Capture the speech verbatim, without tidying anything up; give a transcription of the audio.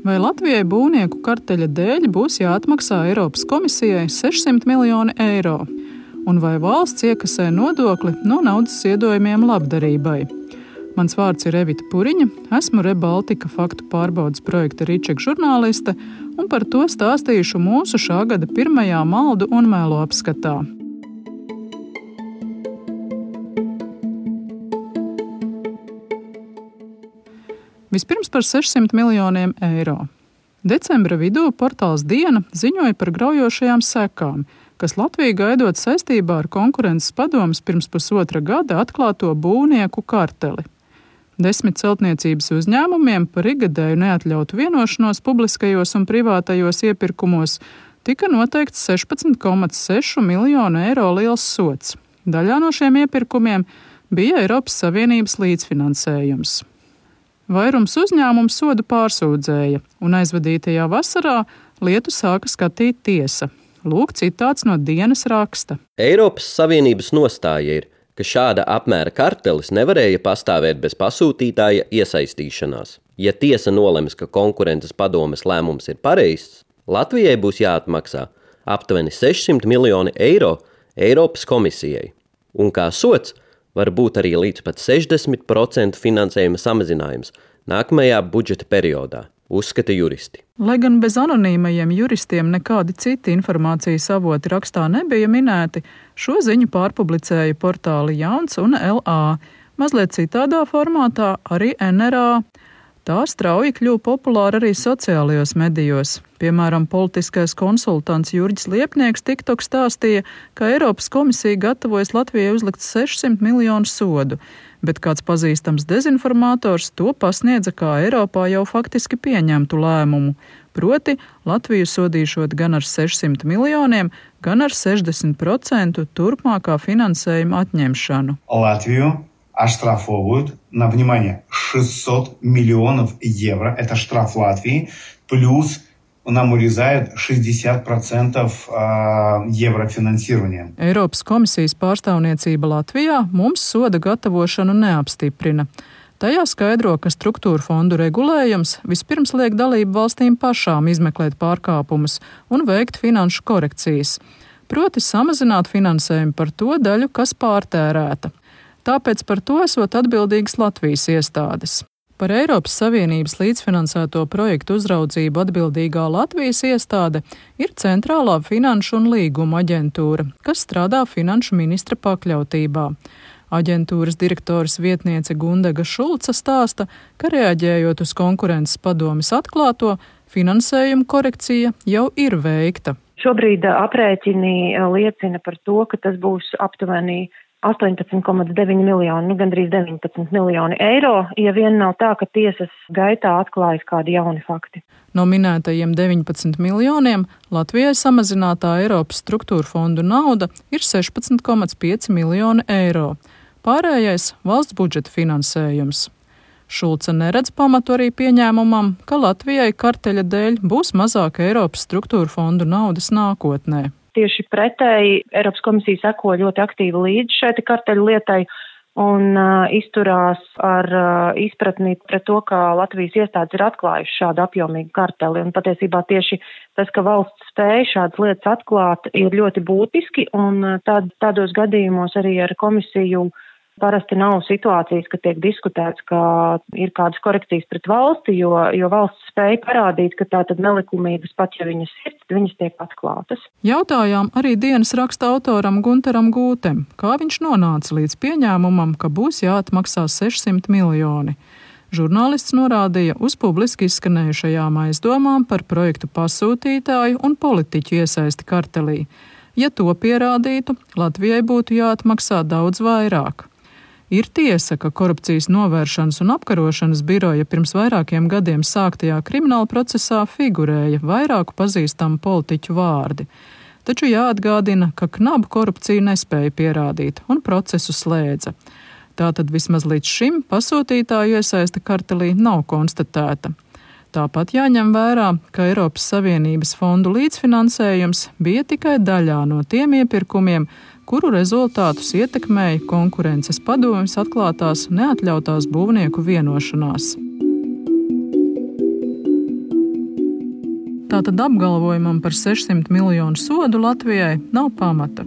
Vai Latvijai būvnieku karteļa dēļ būs jāatmaksā Eiropas komisijai sešsimt miljoni eiro? Un vai valsts iekasē nodokli no naudas ziedojumiem labdarībai? Mans vārds ir Evita Puriņa, esmu Rebaltika faktu pārbaudes projekta Ričeka žurnāliste, un par to stāstīšu mūsu šā gada pirmajā maldu un melo apskatā. Vispirms par sešsimt miljoniem eiro. Decembra vidū portāls Diena ziņoja par graujošajām sekām, kas Latviju gaidot saistībā ar konkurences padomes pirms pusotra gada atklāto būvnieku karteli. Desmit celtniecības uzņēmumiem par ikgadēju neatļautu vienošanos publiskajos un privātajos iepirkumos tika noteikts sešpadsmit komats seši miljonu eiro liels sods. Daļā no šiem iepirkumiem bija Eiropas Savienības līdzfinansējums. Vairums uzņēmumu sodu pārsūdzēja, un aizvadītajā vasarā lietu sāka skatīt tiesa. Lūk citāts no Dienas raksta. Eiropas Savienības nostāja ir, ka šāda apmēra kartelis nevarēja pastāvēt bez pasūtītāja iesaistīšanās. Ja tiesa nolems, ka konkurences padomes lēmums ir pareizs, Latvijai būs jāatmaksā aptuveni sešsimt miljoni eiro Eiropas komisijai. Un kā sods var būt arī līdz pat sešdesmit procenti finansējuma samazinājums nākamajā budžeta periodā, uzskata juristi. Lai gan bez anonīmajiem juristiem nekādi citi informācijas avoti rakstā nebija minēti, šo ziņu pārpublicēja portāli Jauns un L A, mazliet citādā formātā arī N R A. Tā strauji kļuva populāra arī sociālajos medijos. Piemēram, politiskais konsultants Jurģis Liepnieks TikTok stāstīja, ka Eiropas komisija gatavojas Latvijai uzlikt sešsimt miljonu sodu, bet kāds pazīstams dezinformātors to pasniedza kā Eiropā jau faktiski pieņemtu lēmumu, proti Latviju sodīšot gan ar sešsimt miljoniem, gan ar sešdesmit procentu turpmākā finansējuma atņemšanu. Latviju оштрафовывают на, внимание, шестьсот миллионов евро. Это штраф Латвии. Плюс нам урезают šezdziesmit процентов еврофинансирования. Eiropas komisijas pārstāvniecība Latvijā mums soda gatavošanu neapstiprina. Tajā skaidro, ka struktūra fondu regulējums vispirms liek dalību valstīm pašām izmeklēt pārkāpumus un veikt finanšu korekcijas, proti samazināt finansējumu par to daļu, kas pārtērēta. Tāpēc par to esot atbildīgas Latvijas iestādes. Par Eiropas Savienības līdzfinansēto projektu uzraudzību atbildīgā Latvijas iestāde ir Centrālā finanšu un līguma aģentūra, kas strādā finanšu ministra pakļautībā. Aģentūras direktoras vietniece Gundega Šulca stāsta, ka reaģējot uz konkurences padomes atklāto, finansējuma korekcija jau ir veikta. Šobrīd aprēķini liecina par to, ka tas būs aptuveni astoņpadsmit komats deviņi miljoni, nu gandrīz deviņpadsmit miljoni eiro, ja vien nav tā, ka tiesas gaitā atklājas kādi jauni fakti. No minētajiem deviņpadsmit miljoniem Latvijai samazinātā Eiropas struktūra fondu nauda ir sešpadsmit komats pieci miljoni eiro. Pārējais valsts budžeta finansējums. Šulce neredz pamatu arī pieņēmumam, ka Latvijai karteļa dēļ būs mazāk Eiropas struktūra fondu naudas nākotnē. Tieši pretēji Eiropas komisija seko ļoti aktīvi līdz šai karteļu lietai un uh, izturās ar uh, izpratni pret to, ka Latvijas iestādes ir atklājuši šādu apjomīgu karteli. Un patiesībā tieši tas, ka valsts spēja šādas lietas atklāt, ir ļoti būtiski, un uh, tād, tādos gadījumos arī ar komisiju parasti nav situācijas, ka tiek diskutēts, ka ir kādas korekcijas pret valsti, jo, jo valsts spēja parādīt, ka tā tad nelikumības, pat ja viņas ir, viņas tiek atklātas. Jautājām arī Dienas raksta autoram Guntaram Gūtem, kā viņš nonāca līdz pieņēmumam, ka būs jāatmaksā sešsimt miljoni. Žurnālists norādīja uz publiski izskanējušajām aizdomām par projektu pasūtītāju un politiķu iesaisti kartelī. Ja to pierādītu, Latvijai būtu jāatmaksā daudz vairāk. Ir tiesa, ka korupcijas novēršanas un apkarošanas biroja pirms vairākiem gadiem sāktajā krimināla procesā figurēja vairāku pazīstamu politiķu vārdi. Taču jāatgādina, ka knabu korupciju nespēja pierādīt un procesu slēdza. Tātad vismaz līdz šim pasūtītāju iesaiste kartelī nav konstatēta. Tāpat jāņem vērā, ka Eiropas Savienības fondu līdzfinansējums bija tikai daļā no tiem iepirkumiem, kuru rezultātus ietekmēja konkurences padomes atklātās neatļautās būvnieku vienošanās. Tātad apgalvojumam par sešsimt miljonu sodu Latvijai nav pamata.